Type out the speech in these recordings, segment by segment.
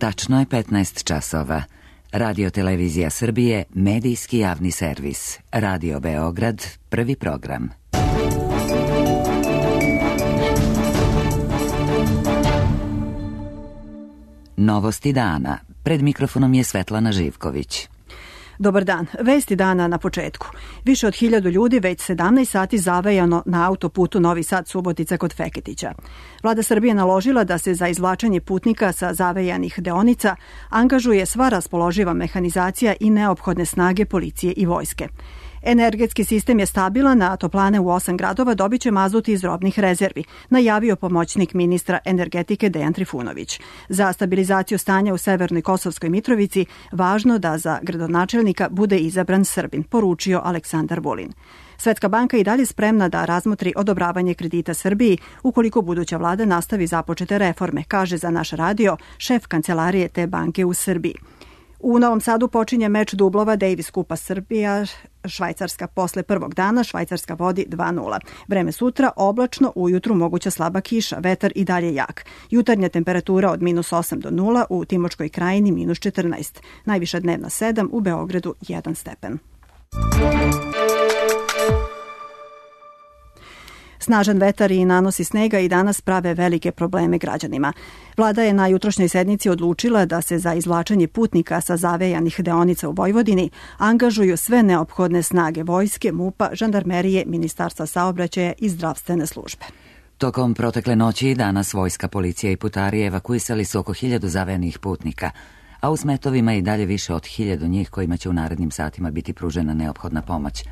Tačno je 15 časova. Radio Televizija Srbije, medijski javni servis. Radio Beograd, prvi program. Novosti dana. Pred mikrofonom je Svetlana Živković. Dobar dan. Vesti dana na početku. Više od 1000 ljudi već 17 sati zavejano na autoputu Novi Sad-Subotica kod Feketića. Vlada Srbije naložila da se za izvlačenje putnika sa zavejanih deonica angažuje sva raspoloživa mehanizacija i neophodne snage policije i vojske. Energetski sistem je stabilan, a toplane u 8 gradova dobit će mazut iz robnih rezervi, najavio pomoćnik ministra energetike Dejan Trifunović. Za stabilizaciju stanja u Severnoj Kosovskoj Mitrovici važno da za gradonačelnika bude izabran Srbin, poručio Aleksandar Vulin. Svetska banka i dalje spremna da razmotri odobravanje kredita Srbiji ukoliko buduća vlada nastavi započete reforme, kaže za naš radio šef kancelarije te banke u Srbiji. U Novom Sadu počinje meč dublova Davis Kupa Srbija, Švajcarska posle prvog dana, Švajcarska vodi 2:0. Vreme sutra oblačno, ujutru moguća slaba kiša, vetar i dalje jak. Jutarnja temperatura od -8 do 0, u Timočkoj krajini -14. Najviša dnevna 7, u Beogradu 1 stepen. Snažan vetar i nanosi snega i danas prave velike probleme građanima. Vlada je na jutrošnjoj sednici odlučila da se za izvlačenje putnika sa zavejanih deonica u Vojvodini angažuju sve neophodne snage vojske, MUP-a, žandarmerije, Ministarstva saobraćaja i zdravstvene službe. Tokom protekle noći i danas vojska, policija i putari evakuisali su oko 1000 zavejanih putnika, a u smetovima i dalje više od 1000 njih kojima će u narednim satima biti pružena neophodna pomoć.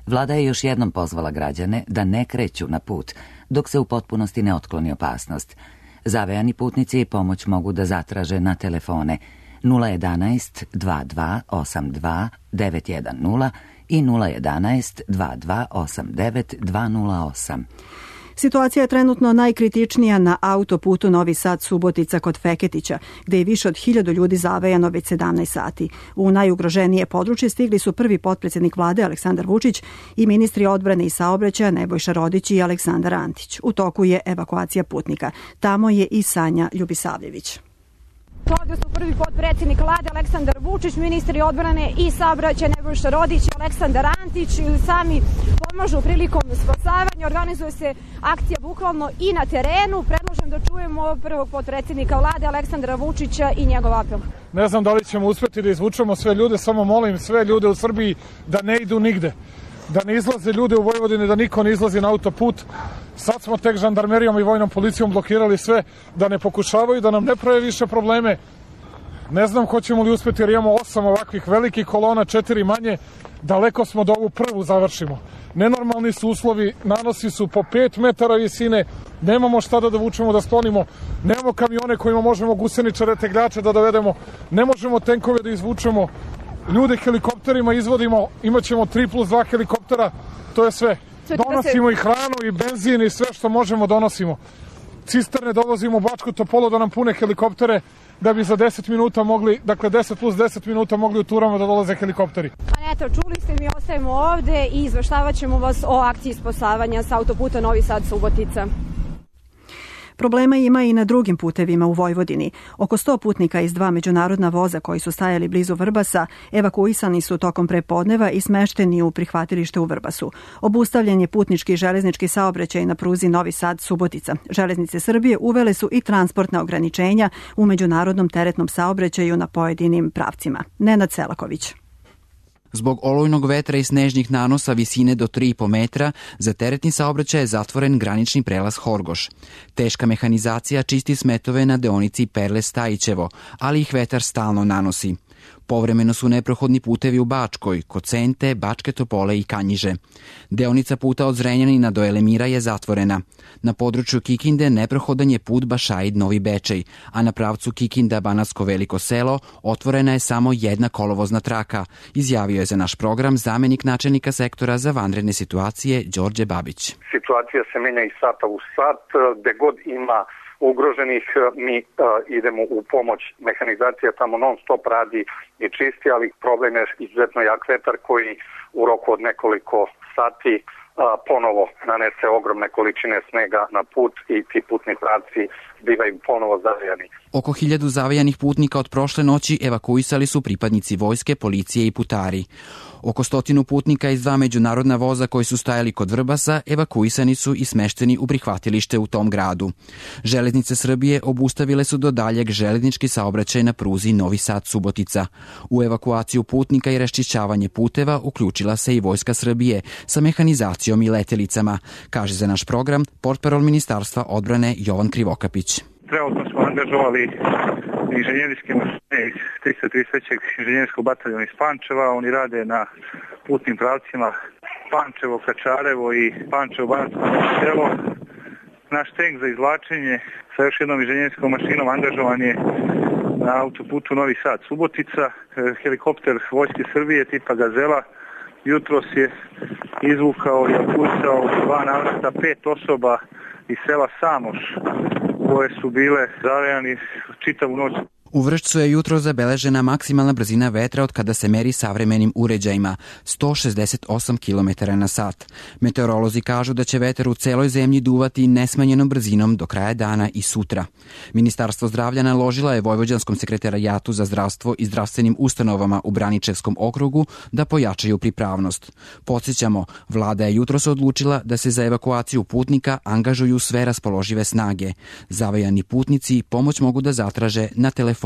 Vlada je još jednom pozvala građane da ne kreću na put dok se u potpunosti ne otkloni opasnost. Zavejani putnici pomoć mogu da zatraže na telefone 011 2282 910 i 011 2289 208. Situacija je trenutno najkritičnija na autoputu Novi Sad-Subotica kod Feketića, gde je više od 1000 ljudi zavejano već 17 sati. U najugroženije područje stigli su prvi potpredsjednik vlade Aleksandar Vučić i ministri odbrane i saobraćaja Nebojša Rodić i Aleksandar Antić. U toku je evakuacija putnika. Tamo je i Sanja Ljubisavljević. Ovdje su prvi potpredsjednik vlade Aleksandar Vučić, ministri odbrane i saobraćaja Nebojša Rodić i Aleksandar Antić sami pomažu prilikom spasavanja. Organizuje se akcija bukvalno i na terenu. Predlažem da čujemo prvog potpredsjednika vlade Aleksandra Vučića i njegov apel. Ne znam da li ćemo uspjeti da izvučemo sve ljude, samo molim sve ljude u Srbiji da ne idu nigde. Da ne izlaze ljude u Vojvodini, da niko ne izlazi na autoput. Sad smo tek žandarmerijom i vojnom policijom blokirali sve, da ne pokušavaju, da nam ne prave više probleme. Ne znam hoćemo li uspjeti jer imamo 8 ovakvih velikih kolona, 4 manje. Daleko smo da ovu prvu završimo. Nenormalni su uslovi, nanosi su po 5 metara visine, nemamo šta da vučemo, da sklonimo, nemamo kamione kojima možemo guseničare, tegljače da dovedemo, ne možemo tenkove da izvučemo, ljude helikopterima izvodimo, imat ćemo 3+2 helikoptera, to je sve. Donosimo i hranu i benzin i sve što možemo donosimo. Cisterne dovozimo u Bačku Topolu da nam pune helikoptere da bi za 10 minuta mogli, dakle 10+10 minuta mogli u turama da dolaze helikopteri. A eto, čuli ste, mi ostajemo ovde i izveštavat ćemo vas o akciji spasavanja sa autoputa Novi Sad-Subotica. Problema ima i na drugim putevima u Vojvodini. Oko 100 putnika iz 2 međunarodna voza koji su stajali blizu Vrbasa evakuisani su tokom prepodneva i smešteni u prihvatilište u Vrbasu. Obustavljen je putnički i železnički saobraćaj na pruzi Novi Sad-Subotica. Železnice Srbije uvele su i transportna ograničenja u međunarodnom teretnom saobraćaju na pojedinim pravcima. Nenad Selaković. Zbog olujnog vetra i snežnih nanosa visine do 3,5 metra, za teretni saobraćaj je zatvoren granični prelaz Horgoš. Teška mehanizacija čisti smetove na deonici Perle-Stajićevo, ali ih vetar stalno nanosi. Povremeno su neprohodni putevi u Bačkoj, kod Sente, Bačke Topole i Kanjiže. Deonica puta od Zrenjanina do Elemira je zatvorena. Na području Kikinde neprohodan je put Bašaid-Novi Bečej, a na pravcu Kikinda-Banatsko Veliko Selo otvorena je samo jedna kolovozna traka, izjavio je za naš program zamenik načelnika sektora za vanredne situacije Đorđe Babić. Situacija se menja iz sata u sat, gde god ima ugroženih, mi idemo u pomoć. Mehanizacija tamo non stop radi i čisti, ali problem je izuzetno jak vetar koji u roku od nekoliko sati ponovo nanese ogromne količine snega na put i ti putni pravci bivaju ponovo zavejani. Oko 1000 zavejanih putnika od prošle noći evakuisali su pripadnici vojske, policije i putari. Oko 100 putnika iz 2 međunarodna voza koji su stajali kod Vrbasa evakuisani su i smešteni u prihvatilište u tom gradu. Železnice Srbije obustavile su do daljeg železnički saobraćaj na pruzi Novi Sad-Subotica. U evakuaciju putnika i raščišćavanje puteva uključila se i Vojska Srbije sa mehanizacijom i letelicama, kaže za naš program portparol Ministarstva odbrane Jovan Krivokapić. Trenutno smo angažovali inženjerijske mašine iz 333. inženjerijskog bataljona iz Pančeva. Oni rade na putnim pravcima Pančevo-Kačarevo i Pančevo-Banatsko selo. Naš tank za izvlačenje sa još jednom inženjerijskom mašinom angažovan je na autoputu Novi Sad-Subotica. Helikopter Vojske Srbije tipa Gazela jutros je izvukao i otpuštao 2 navrata 5 osoba iz sela Samoš koje su bile zavejani čitavu noć. U Vršcu je jutro zabeležena maksimalna brzina vetra od kada se meri savremenim uređajima, 168 km na sat. Meteorolozi kažu da će vetar u celoj zemlji duvati nesmanjenom brzinom do kraja dana i sutra. Ministarstvo zdravlja naložila je Vojvođanskom sekretarijatu za zdravstvo i zdravstvenim ustanovama u Braničevskom okrugu da pojačaju pripravnost. Podsjećamo, vlada je jutros odlučila da se za evakuaciju putnika angažuju sve raspoložive snage. Zavejani putnici pomoć mogu da zatraže na telefone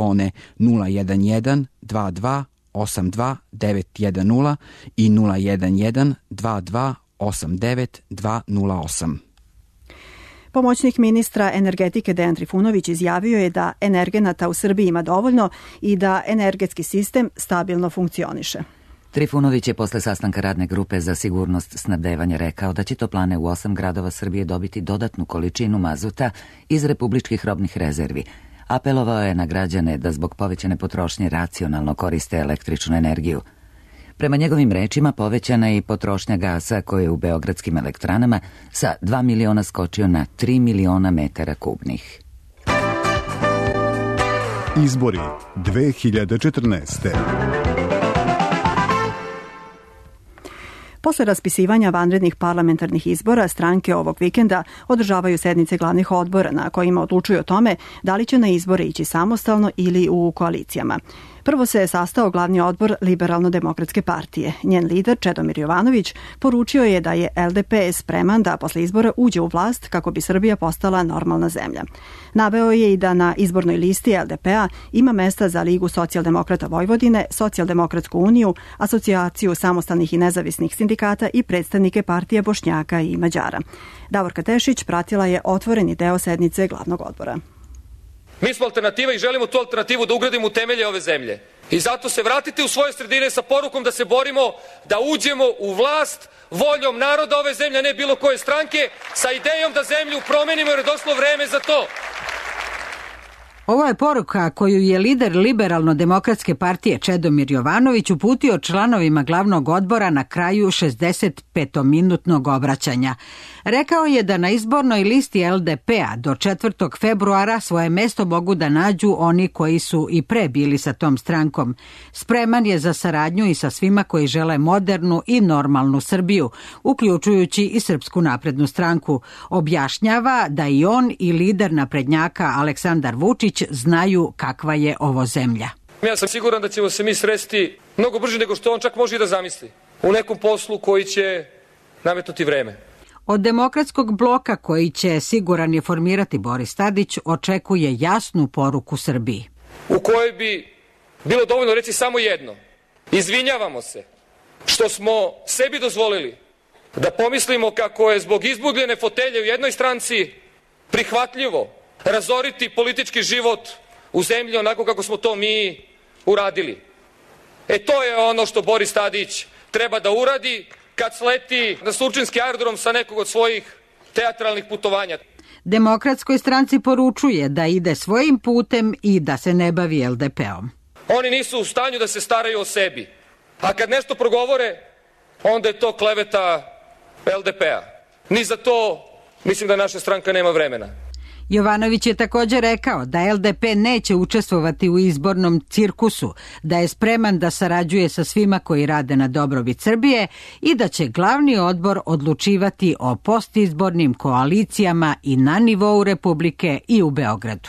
011 22 82 910 i 011 22 89 208. Pomoćnik ministra energetike Dejan Trifunović izjavio je da energenata u Srbiji ima dovoljno i da energetski sistem stabilno funkcioniše. Trifunović je posle sastanka radne grupe za sigurnost snabdevanja rekao da će toplane u 8 gradova Srbije dobiti dodatnu količinu mazuta iz republičkih robnih rezervi. Apelovao je na građane da zbog povećane potrošnje racionalno koriste električnu energiju. Prema njegovim rečima povećana je i potrošnja gasa koji je u beogradskim elektranama sa 2 miliona skočio na 3 miliona metara kubnih. Izbori 2014. Posle raspisivanja vanrednih parlamentarnih izbora, stranke ovog vikenda održavaju sednice glavnih odbora na kojima odlučuju o tome da li će na izbore ići samostalno ili u koalicijama. Prvo se je sastao glavni odbor Liberalno-demokratske partije. Njen lider Čedomir Jovanović poručio je da je LDP spreman da posle izbora uđe u vlast kako bi Srbija postala normalna zemlja. Naveo je i da na izbornoj listi LDP-a ima mesta za Ligu socijaldemokrata Vojvodine, Socijaldemokratsku uniju, Asocijaciju samostalnih i nezavisnih sindikata i predstavnike partije Bošnjaka i Mađara. Davorka Tešić pratila je otvoreni deo sednice glavnog odbora. Mi smo alternativa i želimo tu alternativu da ugradimo u temelje ove zemlje. I zato se vratite u svoje sredine sa porukom da se borimo da uđemo u vlast voljom naroda ove zemlje, a ne bilo koje stranke, sa idejom da zemlju promenimo jer je došlo vreme za to. Ovo je poruka koju je lider Liberalno-demokratske partije Čedomir Jovanović uputio članovima glavnog odbora na kraju 65-minutnog obraćanja. Rekao je da na izbornoj listi LDP-a do 4. februara svoje mesto mogu da nađu oni koji su i pre bili sa tom strankom. Spreman je za saradnju i sa svima koji žele modernu i normalnu Srbiju, uključujući i Srpsku naprednu stranku. Objašnjava da i on i lider naprednjaka Aleksandar Vučić znaju kakva je ovo zemlja. Ja sam siguran da ćemo se mi sresti mnogo brže nego što on čak može i da zamisli. U nekom poslu koji će nametnuti vreme. Od demokratskog bloka koji će, siguran je, formirati Boris Tadić, očekuje jasnu poruku Srbiji. U kojoj bi bilo dovoljno reći samo jedno. Izvinjavamo se što smo sebi dozvolili da pomislimo kako je zbog izgubljene fotelje u jednoj stranci prihvatljivo razoriti politički život u zemlji onako kako smo to mi uradili. To je ono što Boris Tadić treba da uradi kad sleti na surčinski aerodrom sa nekog od svojih teatralnih putovanja. Demokratskoj stranci poručuje da ide svojim putem i da se ne bavi LDP-om. Oni nisu u stanju da se staraju o sebi. A kad nešto progovore, onda je to kleveta LDP-a. Ni za to mislim da naša stranka nema vremena. Jovanović je također rekao da LDP neće učestvovati u izbornom cirkusu, da je spreman da sarađuje sa svima koji rade na dobrobit Srbije i da će glavni odbor odlučivati o postizbornim koalicijama i na nivou Republike i u Beogradu.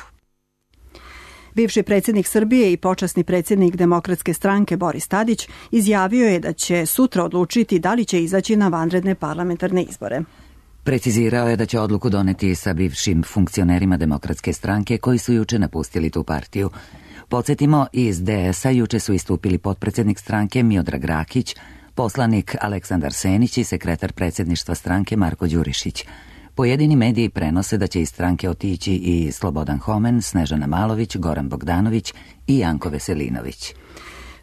Bivši predsjednik Srbije i počasni predsjednik Demokratske stranke Boris Tadić izjavio je da će sutra odlučiti da li će izaći na vanredne parlamentarne izbore. Precizirao je da će odluku doneti sa bivšim funkcionerima Demokratske stranke koji su juče napustili tu partiju. Podsjetimo, iz DS-a juče su istupili potpredsjednik stranke Miodrag Rakić, poslanik Aleksandar Senić i sekretar predsjedništva stranke Marko Đurišić. Pojedini mediji prenose da će iz stranke otići i Slobodan Homen, Snežana Malović, Goran Bogdanović i Janko Veselinović.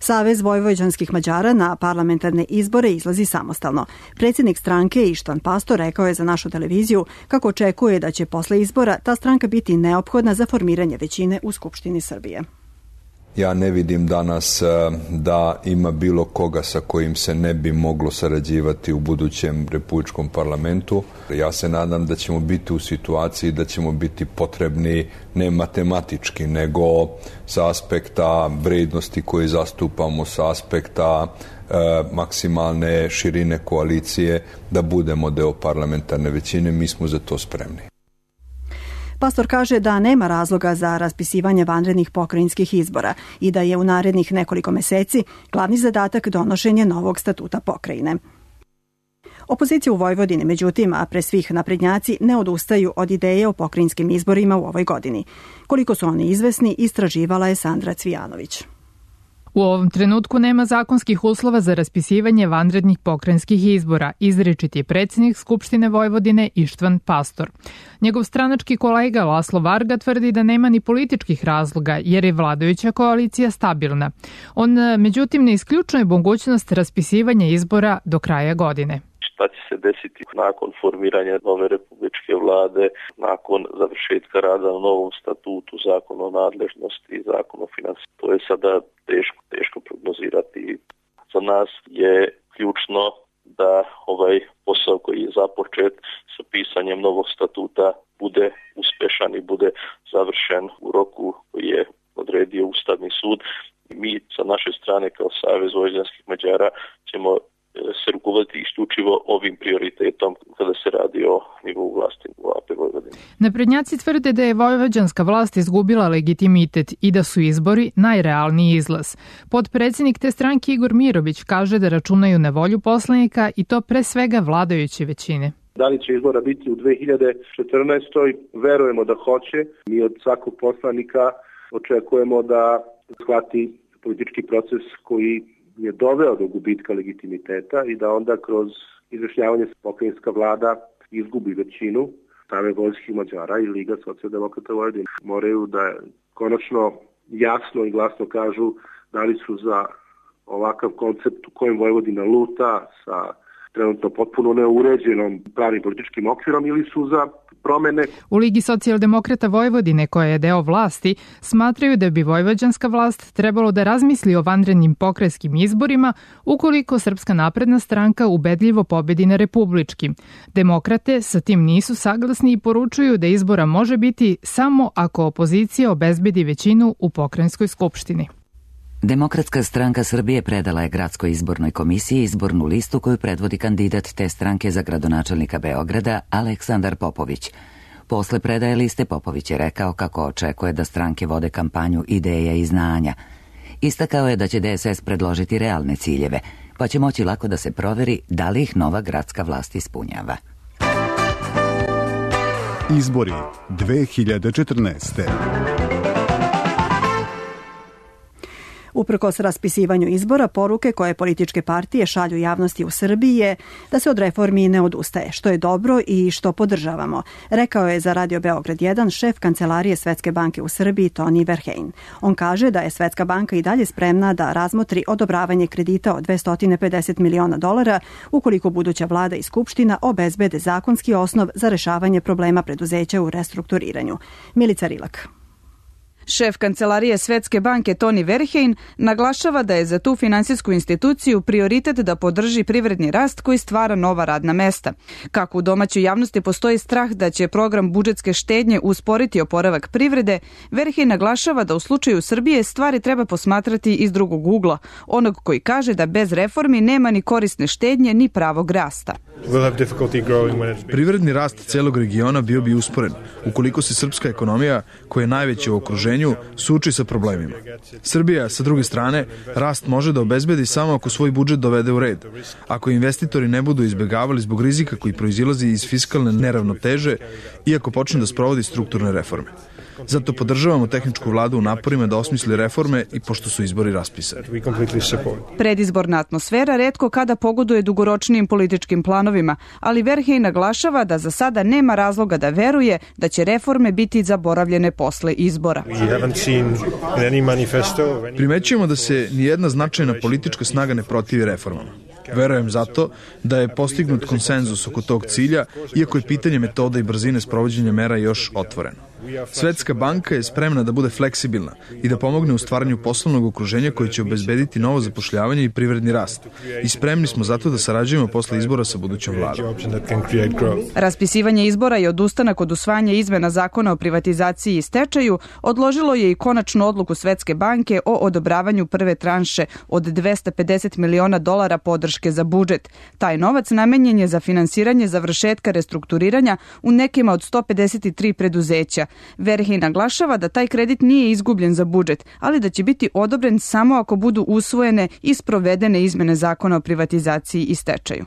Savez vojvođanskih Mađara na parlamentarne izbore izlazi samostalno. Predsjednik stranke Ištvan Pastor rekao je za našu televiziju kako očekuje da će posle izbora ta stranka biti neophodna za formiranje većine u Skupštini Srbije. Ja ne vidim danas da ima bilo koga sa kojim se ne bi moglo sarađivati u budućem republičkom parlamentu. Ja se nadam da ćemo biti u situaciji da ćemo biti potrebni ne matematički, nego sa aspekta vrednosti koje zastupamo, sa aspekta maksimalne širine koalicije, da budemo deo parlamentarne većine. Mi smo za to spremni. Pastor kaže da nema razloga za raspisivanje vanrednih pokrajinskih izbora i da je u narednih nekoliko meseci glavni zadatak donošenje novog statuta pokrajine. Opozicija u Vojvodini, međutim, a pre svih naprednjaci, ne odustaju od ideje o pokrajinskim izborima u ovoj godini. Koliko su oni izvesni, istraživala je Sandra Cvijanović. U ovom trenutku nema zakonskih uslova za raspisivanje vanrednih pokrajinskih izbora, izričit je predsjednik Skupštine Vojvodine Ištvan Pastor. Njegov stranački kolega Laslo Varga tvrdi da nema ni političkih razloga jer je vladajuća koalicija stabilna. On međutim ne isključuje mogućnost raspisivanja izbora do kraja godine. Šta će se desiti nakon formiranja nove republičke vlade, nakon završetka rada na novom statutu, zakon o nadležnosti i zakon o finansijama. To je sada teško prognozirati. Za nas je ključno da ovaj posao koji je započet sa pisanjem novog statuta bude uspešan i bude završen u roku koji je odredio Ustavni sud. Mi sa naše strane kao Savez vojvođanskih Mađara ćemo se rukovoditi isključivo ovim prioritetom kada se radi o nivou vlasti u AP Vojvodine. Naprednjaci tvrde da je vojvođanska vlast izgubila legitimitet i da su izbori najrealniji izlaz. Potpredsjednik te stranke Igor Mirović kaže da računaju na volju poslanika i to pre svega vladajuće većine. Da li će izbora biti u 2014. Verujemo da hoće. Mi od svakog poslanika očekujemo da shvati politički proces koji je doveo do gubitka legitimiteta i da onda kroz izjašnjavanje pokrajinska vlada izgubi većinu. Savez vojvođanskih Mađara i Liga socijaldemokrata Vojvodine moraju da konačno jasno i glasno kažu da li su za ovakav koncept u kojem Vojvodina luta sa trenutno potpuno neuređenom pravnim političkim okvirom ili su za promene. U Ligi socijaldemokrata Vojvodine, koja je deo vlasti, smatraju da bi vojvođanska vlast trebalo da razmisli o vanrednim pokrajinskim izborima ukoliko Srpska napredna stranka ubedljivo pobedi na republičkim. Demokrate sa tim nisu saglasni i poručuju da izbora može biti samo ako opozicija obezbedi većinu u pokrajinskoj skupštini. Demokratska stranka Srbije predala je Gradskoj izbornoj komisiji izbornu listu koju predvodi kandidat te stranke za gradonačelnika Beograda Aleksandar Popović. Posle predaje liste Popović je rekao kako očekuje da stranke vode kampanju ideja i znanja. Istakao je da će DSS predložiti realne ciljeve, pa će moći lako da se proveri da li ih nova gradska vlast ispunjava. Izbori 2014. Uprkos raspisivanju izbora, poruke koje političke partije šalju javnosti u Srbiji je da se od reformi ne odustaje, što je dobro i što podržavamo, rekao je za Radio Beograd 1 šef kancelarije Svetske banke u Srbiji Toni Verheyen. On kaže da je Svetska banka i dalje spremna da razmotri odobravanje kredita od $250 miliona ukoliko buduća vlada i skupština obezbede zakonski osnov za rešavanje problema preduzeća u restrukturiranju. Milica Rilak. Šef kancelarije Svetske banke Tony Verheyen naglašava da je za tu finansijsku instituciju prioritet da podrži privredni rast koji stvara nova radna mesta. Kako u domaćoj javnosti postoji strah da će program budžetske štednje usporiti oporavak privrede, Verheyen naglašava da u slučaju Srbije stvari treba posmatrati iz drugog ugla, onog koji kaže da bez reformi nema ni korisne štednje ni pravog rasta. Privredni rast celog regiona bio bi usporen ukoliko se srpska ekonomija, koja je najveća u okruženju, suoči sa problemima. Srbija, sa druge strane, rast može da obezbedi samo ako svoj budžet dovede u red. Ako investitori ne budu izbegavali zbog rizika koji proizilazi iz fiskalne neravnoteže i ako počne da sprovodi strukturne reforme. Zato podržavamo tehničku vladu u naporima da osmisli reforme i pošto su izbori raspisani. Predizborna atmosfera retko kada pogoduje dugoročnijim političkim planovima, ali Verheyen naglašava da za sada nema razloga da veruje da će reforme biti zaboravljene posle izbora. Primećujemo da se nijedna značajna politička snaga ne protivi reformama. Verujem zato da je postignut konsenzus oko tog cilja, iako je pitanje metoda i brzine sprovođenja mera još otvoreno. Svetska banka je spremna da bude fleksibilna i da pomogne u stvaranju poslovnog okruženja koje će obezbediti novo zapošljavanje i privredni rast. I spremni smo zato da sarađujemo posle izbora sa budućom vladom. Raspisivanje izbora i odustanak od usvajanja izmena zakona o privatizaciji i stečaju odložilo je i konačnu odluku Svetske banke o odobravanju prve tranše od $250 miliona podrške za budžet. Taj novac namenjen je za finansiranje završetka restrukturiranja u nekima od 153 preduzeća. Verheyen naglašava da taj kredit nije izgubljen za budžet, ali da će biti odobren samo ako budu usvojene i sprovedene izmene zakona o privatizaciji i stečaju.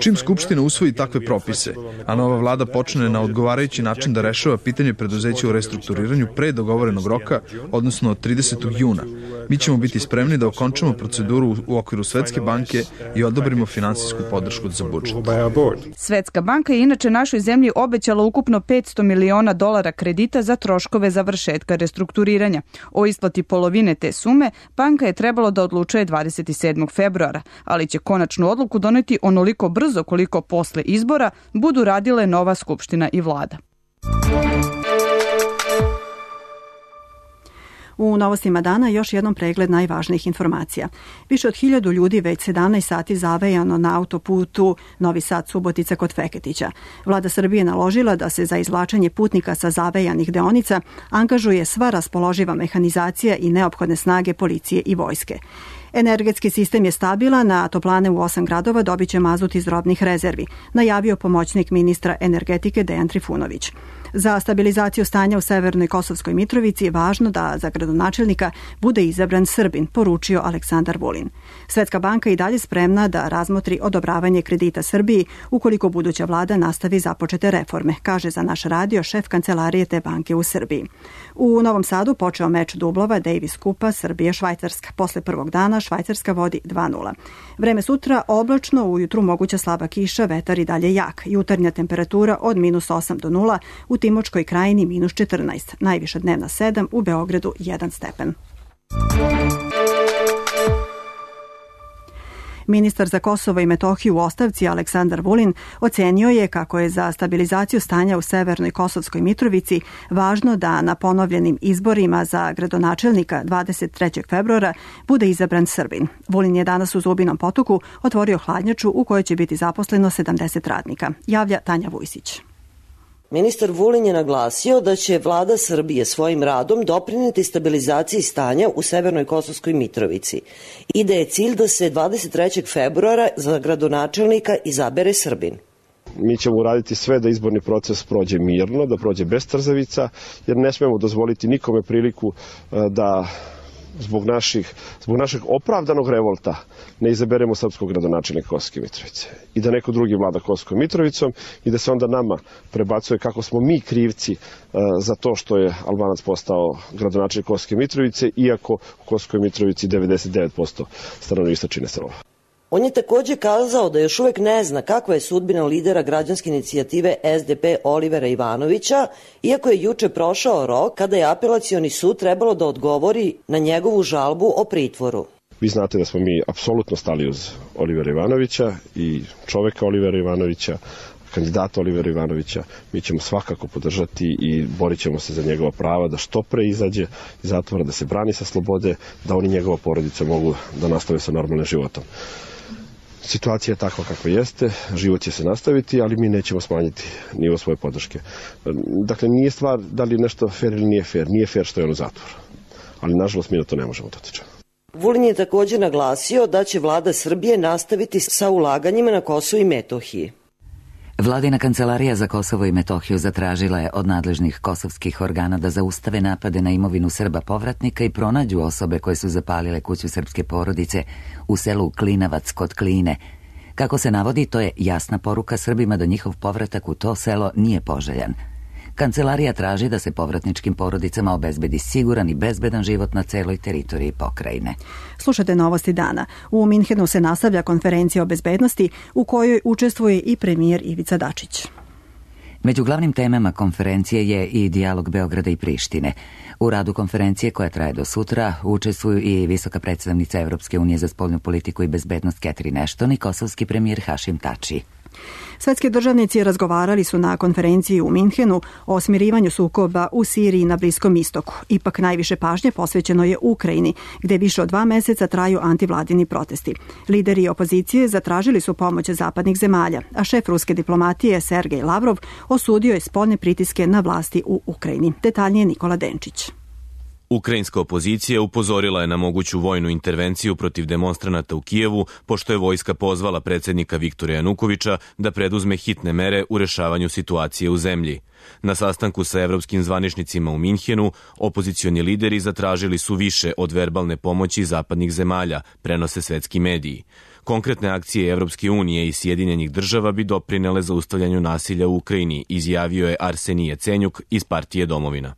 Čim Skupština usvoji takve propise, a nova vlada počne na odgovarajući način da rešava pitanje preduzeća u restrukturiranju pre dogovorenog roka, odnosno od 30. juna, mi ćemo biti spremni da okončamo proceduru u okviru Svetske banke i odobrimo finansijsku podršku za budžet. Svetska banka je inače našoj zemlji obećala ukupno $500 miliona kredita za troškove završetka restrukturiranja. O isplati polovine te sume banka je trebalo da odlučuje 27. februara, ali će konačnu odluku doneti onoliko brzo koliko posle izbora budu radile nova skupština i vlada. U novostima dana još jednom pregled najvažnijih informacija. Više od 1000 ljudi već 17 sati zavejano na autoputu Novi Sad-Subotica kod Feketića. Vlada Srbije naložila da se za izvlačenje putnika sa zavejanih deonica angažuje sva raspoloživa mehanizacija i neophodne snage policije i vojske. Energetski sistem je stabilan, a toplane u 8 gradova dobit će mazut iz robnih rezervi, najavio pomoćnik ministra energetike Dejan Trifunović. Za stabilizaciju stanja u severnoj Kosovskoj Mitrovici je važno da za gradonačelnika bude izabran Srbin, poručio Aleksandar Vulin. Svetska banka i dalje spremna da razmotri odobravanje kredita Srbiji ukoliko buduća vlada nastavi započete reforme, kaže za naš radio šef kancelarije te banke u Srbiji. U Novom Sadu počeo meč dublova Davis Kupa Srbija-Švajcarska. Posle prvog dana Švajcarska vodi 2:0. Vreme sutra oblačno, ujutru moguća slaba kiša, vetar i dalje jak. Jutarnja temperatura od -8 do 0, u Timočkoj krajini -14, najviša dnevna 7, u Beogradu 1 stepen. Ministar za Kosovo i Metohiju u ostavci Aleksandar Vulin ocenio je kako je za stabilizaciju stanja u severnoj Kosovskoj Mitrovici važno da na ponovljenim izborima za gradonačelnika 23. februara bude izabran Srbin. Vulin je danas u Zubinom Potoku otvorio hladnjaču u kojoj će biti zaposleno 70 radnika. Javlja Tanja Vujsić. Ministar Vulin je naglasio da će vlada Srbije svojim radom doprineti stabilizaciji stanja u severnoj Kosovskoj Mitrovici i da je cilj da se 23. februara za gradonačelnika izabere Srbin. Mi ćemo uraditi sve da izborni proces prođe mirno, da prođe bez trzavica, jer ne smemo dozvoliti nikome priliku da zbog našeg opravdanog revolta ne izaberemo srpskog gradonačelnika Kosovske Mitrovice i da neko drugi vlada Kosovskom Mitrovicom i da se onda nama prebacuje kako smo mi krivci za to što je Albanac postao gradonačelnik Kosovske Mitrovice, iako u Kosovskoj Mitrovici 99% stanovništva čine Srba. On je takođe kazao da još uvek ne zna kakva je sudbina lidera građanske inicijative SDP Olivera Ivanovića, iako je juče prošao rok kada je apelacioni sud trebalo da odgovori na njegovu žalbu o pritvoru. Vi znate da smo mi apsolutno stali uz Olivera Ivanovića i čoveka Olivera Ivanovića, kandidata Olivera Ivanovića, mi ćemo svakako podržati i borit ćemo se za njegova prava da što pre izađe iz zatvora, da se brani sa slobode, da oni i njegova porodica mogu da nastave sa normalnim životom. Situacija je takva kakva jeste, život će se nastaviti, ali mi nećemo smanjiti nivo svoje podrške. Dakle, nije stvar da li je nešto fair ili nije fair. Nije fair što je on u zatvoru. Ali, nažalost, mi na to ne možemo da utičemo. Vulin je također naglasio da će vlada Srbije nastaviti sa ulaganjima na Kosovu i Metohiji. Vladina kancelarija za Kosovo i Metohiju zatražila je od nadležnih kosovskih organa da zaustave napade na imovinu Srba povratnika i pronađu osobe koje su zapalile kuću srpske porodice u selu Klinavac kod Kline. Kako se navodi, to je jasna poruka Srbima da njihov povratak u to selo nije poželjan. Kancelarija traži da se povratničkim porodicama obezbedi siguran i bezbedan život na celoj teritoriji pokrajine. Slušate novosti dana. U Minhenu se nastavlja konferencija o bezbednosti u kojoj učestvuje i premijer Ivica Dačić. Među glavnim temama konferencije je i dijalog Beograda i Prištine. U radu konferencije, koja traje do sutra, učestvuju i visoka predstavnica Evropske unije za spoljnu politiku i bezbednost Catherine Ashton i kosovski premijer Hašim Tači. Svetski državnici razgovarali su na konferenciji u Minhenu o smirivanju sukoba u Siriji i na Bliskom istoku. Ipak najviše pažnje posvećeno je Ukrajini, gde više od 2 meseca traju antivladini protesti. Lideri opozicije zatražili su pomoć zapadnih zemalja, a šef ruske diplomatije Sergej Lavrov osudio je spoljne pritiske na vlasti u Ukrajini. Detaljnije Nikola Denčić. Ukrajinska opozicija upozorila je na moguću vojnu intervenciju protiv demonstranata u Kijevu, pošto je vojska pozvala predsjednika Viktora Janukovića da preduzme hitne mere u rešavanju situacije u zemlji. Na sastanku sa evropskim zvaničnicima u Minhenu, opozicioni lideri zatražili su više od verbalne pomoći zapadnih zemalja, prenose svetski mediji. Konkretne akcije Evropske unije i Sjedinjenih država bi doprinele zaustavljanju nasilja u Ukrajini, izjavio je Arsenij Jacenjuk iz partije Domovina.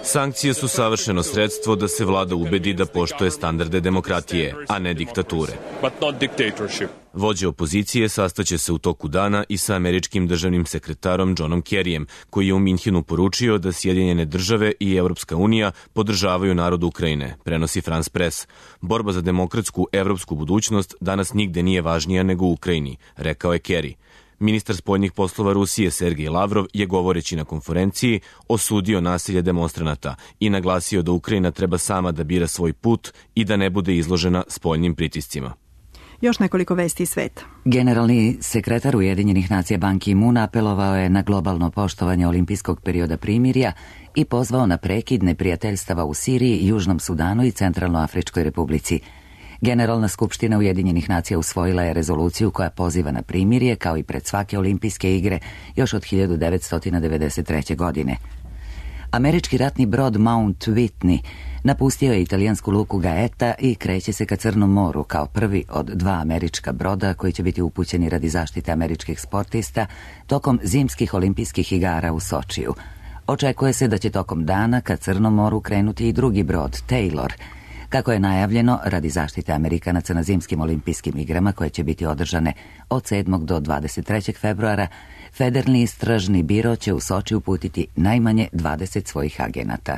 Sankcije su savršeno sredstvo da se vlada ubedi da poštuje standarde demokratije, a ne diktature. Vođe opozicije sastaće se u toku dana i sa američkim državnim sekretarom Johnom Kerryjem, koji je u Minhenu poručio da Sjedinjene države i Evropska unija podržavaju narod Ukrajine, prenosi France Press. Borba za demokratsku evropsku budućnost danas nigde nije važnija nego u Ukrajini, rekao je Kerry. Ministar spoljnih poslova Rusije Sergej Lavrov je, govoreći na konferenciji, osudio nasilje demonstranata i naglasio da Ukrajina treba sama da bira svoj put i da ne bude izložena spoljnim pritiscima. Još nekoliko vesti iz sveta. Generalni sekretar Ujedinjenih nacija Ban Ki-moon apelovao je na globalno poštovanje olimpijskog perioda primirja i pozvao na prekid neprijateljstava u Siriji, Južnom Sudanu i Centralnoafričkoj republici. Generalna skupština Ujedinjenih nacija usvojila je rezoluciju koja poziva na primirje, kao i pred svake olimpijske igre, još od 1993. godine. Američki ratni brod Mount Whitney napustio je italijansku luku Gaeta i kreće se ka Crnom moru kao prvi od 2 američka broda koji će biti upućeni radi zaštite američkih sportista tokom zimskih olimpijskih igara u Sočiju. Očekuje se da će tokom dana ka Crnom moru krenuti i drugi brod, Taylor. Kako je najavljeno, radi zaštite Amerikanaca na zimskim olimpijskim igrama koje će biti održane od 7. do 23. februara, Federalni istražni biro će u Soči uputiti najmanje 20 svojih agenata.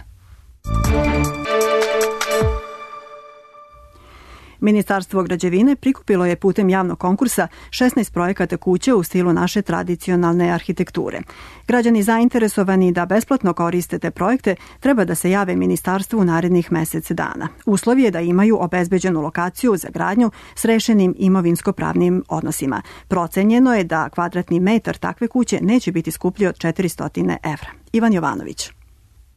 Ministarstvo građevine prikupilo je putem javnog konkursa 16 projekata kuće u stilu naše tradicionalne arhitekture. Građani zainteresovani da besplatno koriste te projekte treba da se jave ministarstvu u narednih mesec dana. Uslov je da imaju obezbeđenu lokaciju za gradnju s rešenim imovinsko-pravnim odnosima. Procenjeno je da kvadratni metar takve kuće neće biti skuplji od 400 evra. Ivan Jovanović.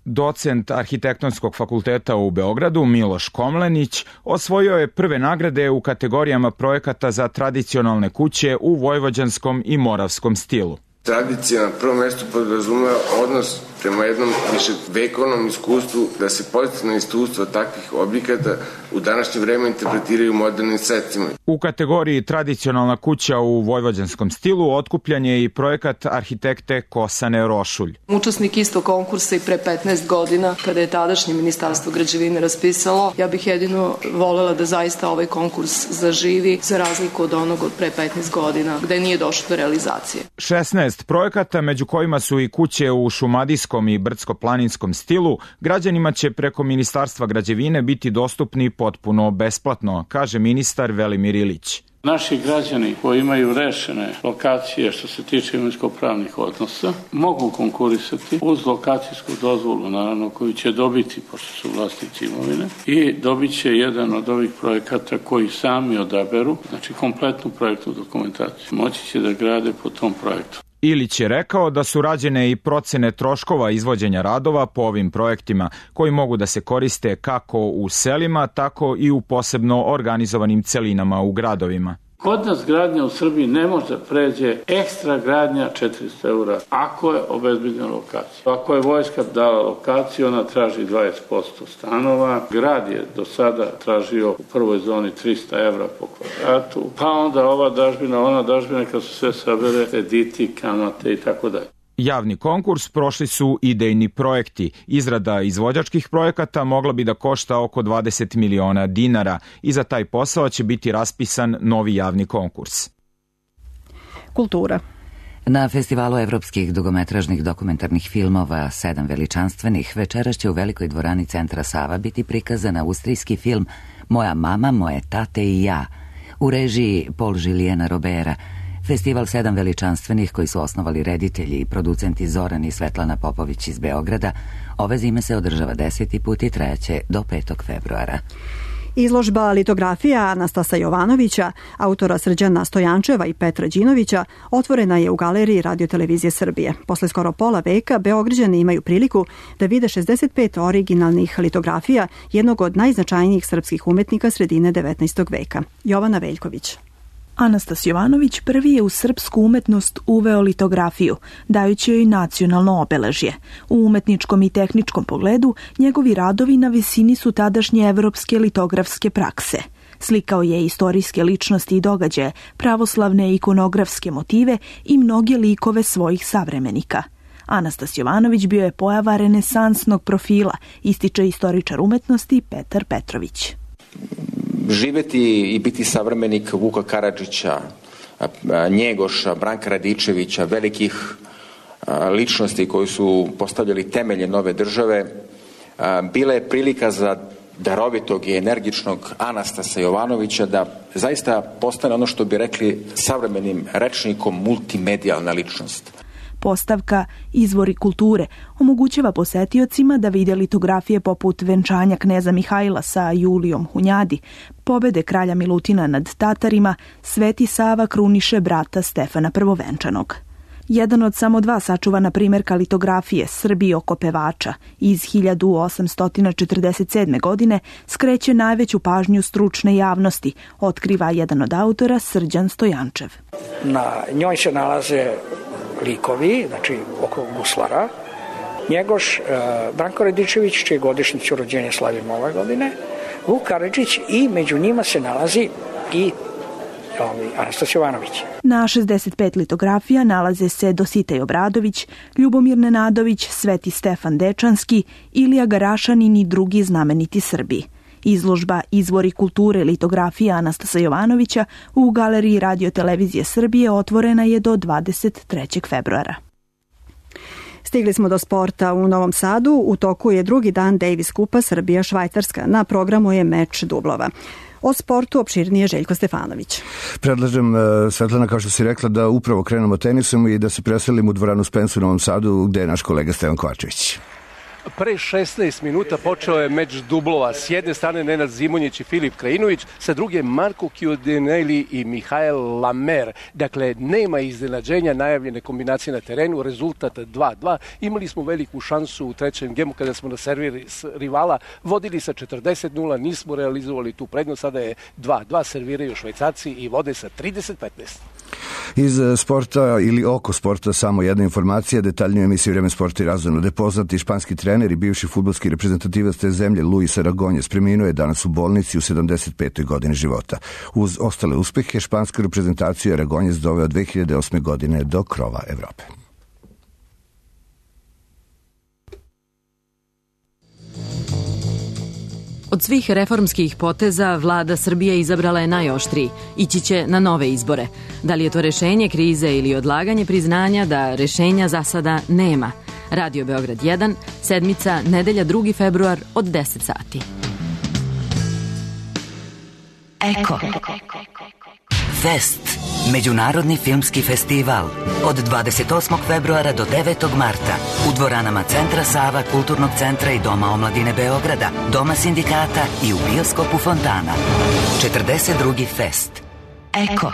Docent Arhitektonskog fakulteta u Beogradu Miloš Komlenić osvojio je prve nagrade u kategorijama projekata za tradicionalne kuće u vojvođanskom i moravskom stilu. Tradicija na prvom mjestu podrazumeva odnos prema jednom viševekovnom iskustvu, da se pozitivno iskustvo takvih objekata u današnje vreme interpretiraju modernim sredstvima. U kategoriji tradicionalna kuća u vojvođanskom stilu otkupljan je i projekat arhitekte Kosane Rošulj. Učesnik isto konkursa i pre 15 godina, kada je tadašnje ministarstvo građevine raspisalo, ja bih jedino volela da zaista ovaj konkurs zaživi, za razliku od onog od pre 15 godina, gde nije došlo do realizacije. 16 projekata, među kojima su i kuće u šumadijskom i brdsko-planinskom stilu, građanima će preko Ministarstva građevine biti dostupni potpuno besplatno, kaže ministar Velimir Ilić. Naši građani koji imaju rešene lokacije što se tiče imovinsko-pravnih odnosa mogu konkurisati uz lokacijsku dozvolu, naravno, koju će dobiti, pošto su vlasnici imovine, i dobit će jedan od ovih projekata koji sami odaberu, znači kompletnu projektnu dokumentaciju. Moći će da grade po tom projektu. Ilić je rekao da su rađene i procene troškova izvođenja radova po ovim projektima koji mogu da se koriste kako u selima, tako i u posebno organizovanim celinama u gradovima. Kod nas gradnja u Srbiji ne može da pređe ekstra gradnja 400 € ako je obezbeđena lokacija. Ako je vojska dala lokaciju, ona traži 20% stanova. Grad je do sada tražio u prvoj zoni 300 € po kvadratu, pa onda ova dažbina, ona dažbina, kad su sve sabere, krediti, kamate i tako dalje. Javni konkurs prošli su idejni projekti. Izrada izvođačkih projekata mogla bi da košta oko 20 miliona dinara i za taj posao će biti raspisan novi javni konkurs. Kultura. Na festivalu evropskih dugometražnih dokumentarnih filmova 7 veličanstvenih večeras će u velikoj dvorani Centra Sava biti prikazan austrijski film Moja mama, moje tate i ja u režiji Paul Juliena Robera. Festival 7 veličanstvenih koji su osnovali reditelji i producenti Zoran i Svetlana Popović iz Beograda ove zime se održava 10. put i trajaće do 5. februara. Izložba litografija Anastasa Jovanovića, autora Srđana Stojančeva i Petra Đinovića, otvorena je u galeriji Radio-televizije Srbije. Posle skoro pola veka Beograđani imaju priliku da vide 65 originalnih litografija jednog od najznačajnijih srpskih umetnika sredine 19. veka. Jovana Veljković. Anastas Jovanović prvi je u srpsku umetnost uveo litografiju, dajući joj nacionalno obeležje. U umetničkom i tehničkom pogledu njegovi radovi na visini su tadašnje evropske litografske prakse. Slikao je istorijske ličnosti i događaje, pravoslavne ikonografske motive i mnoge likove svojih savremenika. Anastas Jovanović bio je pojava renesansnog profila, ističe istoričar umetnosti Petar Petrović. Živeti i biti savremenik Vuka Karadžića, Njegoša, Branka Radičevića, velikih ličnosti koji su postavljali temelje nove države, bila je prilika za darovitog i energičnog Anastasa Jovanovića da zaista postane ono što bi rekli savremenim rečnikom multimedijalna ličnost. Postavka Izvori kulture omogućava posetiocima da vide litografije poput venčanja kneza Mihajla sa Julijom Hunjadi, pobede kralja Milutina nad Tatarima, Sveti Sava kruniše brata Stefana Prvovenčanog. Jedan od samo 2 sačuvana primjerka litografije Srbi oko pevača iz 1847. godine skreće najveću pažnju stručne javnosti, otkriva jedan od autora Srđan Stojančev. Na njoj se nalaze likovi, znači oko guslara, Njegoš, Branko Radičević, čije godišnjicu rođenja slavimo ove godine, Vuk Karadžić i među njima se nalazi i Anastas Jovanović. Na 65 litografija nalaze se Dositej Obradović, Ljubomir Nenadović, Sveti Stefan Dečanski, Ilija Garašanin i drugi znameniti Srbi. Izložba Izvori kulture litografija Anastasa Jovanovića u galeriji Radio-televizije Srbije otvorena je do 23. februara. Stigli smo do sporta u Novom Sadu. U toku je drugi dan Davis Kupa Srbija-Švajcarska. Na programu je meč dublova. O sportu opširnije Željko Stefanović. Predlažem, Svetlana, kao što si rekla, da upravo krenemo tenisom i da se preselimo u dvoranu Spensu u Novom Sadu, gde je naš kolega Stevan Kovačević. Pre 16 minuta počeo je meč dublova. S jedne strane Nenad Zimonjić i Filip Krajinović, sa druge Marko Chiodinelli i Mihael Lamer. Dakle, nema iznenađenja, najavljene kombinacije na terenu, rezultat 2-2. Imali smo veliku šansu u trećem gemu kada smo na serviri rivala vodili sa 40-0, nismo realizovali tu prednost, sada je 2-2, serviraju Švajcarci i vode sa 30-15. Iz sporta ili oko sporta samo jedna informacija, detaljniju emisiju Vreme sporta i razvojno. Da poznati španski trener i bivši fudbalski reprezentativac te zemlje Luis Aragonjes preminuo je danas u bolnici u 75. godini života. Uz ostale uspehe, špansku reprezentaciju Aragonjes doveo 2008. godine do krova Evrope. Od svih reformskih poteza vlada Srbije izabrala je najoštriji. Ići će na nove izbore. Da li je to rešenje krize ili odlaganje priznanja da rešenja za sada nema? Radio Beograd 1, sedmica, nedelja 2. februar od 10 sati. Eko. Fest, međunarodni filmski festival, od 28. februara do 9. marta u dvoranama Centra Sava, Kulturnog centra i Doma omladine Beograda, Doma sindikata i u bioskopu Fontana. 42. Fest. Eko.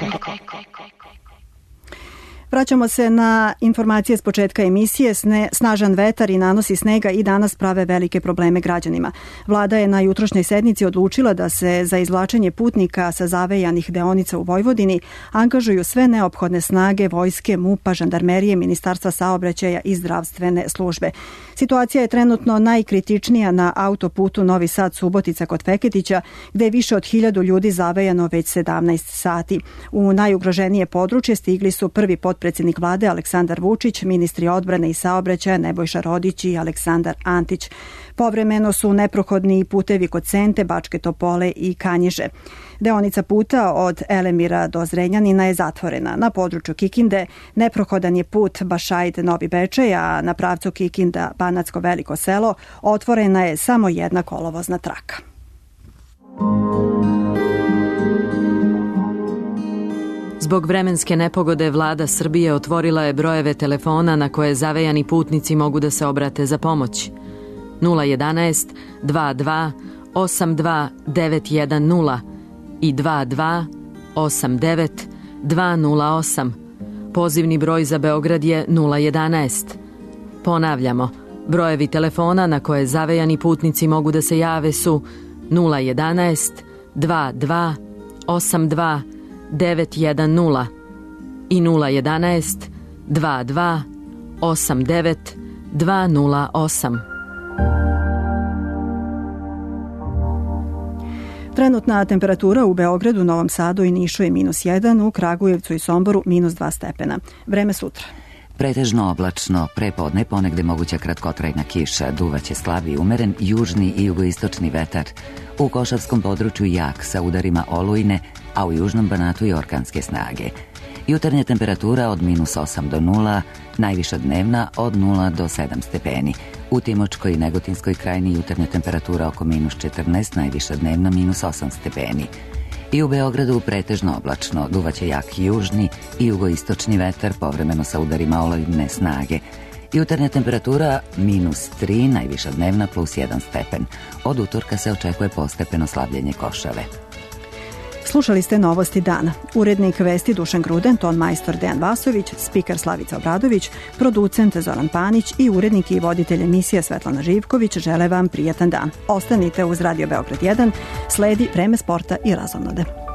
Vraćamo se na informacije s početka emisije. Snažan vetar i nanosi snega i danas prave velike probleme građanima. Vlada je na jutrošnjoj sednici odlučila da se za izvlačenje putnika sa zavejanih deonica u Vojvodini angažuju sve neophodne snage vojske, MUP-a, žandarmerije, Ministarstva saobraćaja i zdravstvene službe. Situacija je trenutno najkritičnija na autoputu Novi Sad-Subotica kod Feketića, gde je više od 1000 ljudi zavejano već 17 sati. U najugroženije područje stigli su prvi potpredsjednik vlade Aleksandar Vučić, ministri odbrane i saobraćaja Nebojša Rodić i Aleksandar Antić. Povremeno su neprohodni putevi kod Sente, Bačke Topole i Kanjiže. Deonica puta od Elemira do Zrenjanina je zatvorena. Na području Kikinde neprohodan je put Bašaid-Novi Bečej, a na pravcu Kikinda-Banatsko Veliko Selo otvorena je samo jedna kolovozna traka. Zbog vremenske nepogode vlada Srbije otvorila je brojeve telefona na koje zavejani putnici mogu da se obrate za pomoć. 011 22 82 910 i 22 89 208. Pozivni broj za Beograd je 011. Ponavljamo, brojevi telefona na koje zavejani putnici mogu da se jave su 011 22 82 910 i 011 22 89 208. Trenutna temperatura u Beogradu, Novom Sadu i Nišu je -1, u Kragujevcu i Somboru -2 stepena. Vreme sutra. Pretežno oblačno, prepodne ponegde moguća kratkotrajna kiša, duvaće slab i umeren južni i jugoistočni vetar. U Košavskom području jak sa udarima olujne, a u južnom Banatu i orkanske snage. Jutarnja temperatura od -8 do 0, najviša dnevna od 0 do 7 stepeni. U Timočkoj i Negotinskoj krajini jutarnja temperatura oko -14, najviša dnevna -8 stepeni. I u Beogradu pretežno oblačno, duvaće jak južni i jugoistočni vetar, povremeno sa udarima olujne snage. Jutarnja temperatura -3, najviša dnevna +1 stepen. Od utorka se očekuje postepeno slabljenje košave. Slušali ste novosti dana. Urednik vesti Dušan Gruden, ton majstor Dejan Vasović, spiker Slavica Obradović, producent Zoran Panić i urednik i voditelj emisije Svetlana Živković žele vam prijatan dan. Ostanite uz Radio Beograd 1, sledi Vreme sporta i razonode.